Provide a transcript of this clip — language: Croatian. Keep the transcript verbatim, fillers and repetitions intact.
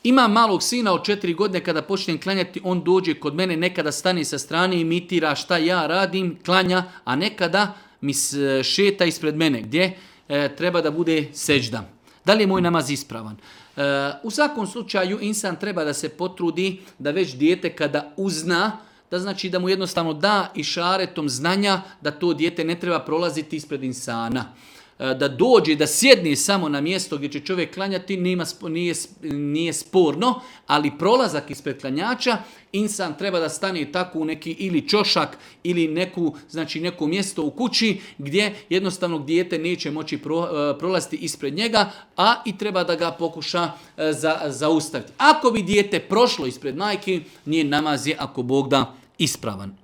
Ima malog sina od četiri godine, kada počnem klanjati, on dođe kod mene, nekada stane sa strane i imitira šta ja radim, klanja, a nekada mi šeta ispred mene, gdje e, treba da bude seđda. Da li je moj namaz ispravan? E, u svakom slučaju insan treba da se potrudi da već dijete kada uzna, da znači da mu jednostavno da išaretom znanja da to dijete ne treba prolaziti ispred insana. Da dođe, da sjedne samo na mjesto gdje će čovjek klanjati, nema, nije, nije sporno, ali prolazak ispred klanjača, insan treba da stane tako u neki ili čošak ili neku, znači neko mjesto u kući gdje jednostavno dijete neće moći pro, prolaziti ispred njega, a i treba da ga pokuša za, zaustaviti. Ako bi dijete prošlo ispred majke, njen namaz je, ako Bog da, ispravan.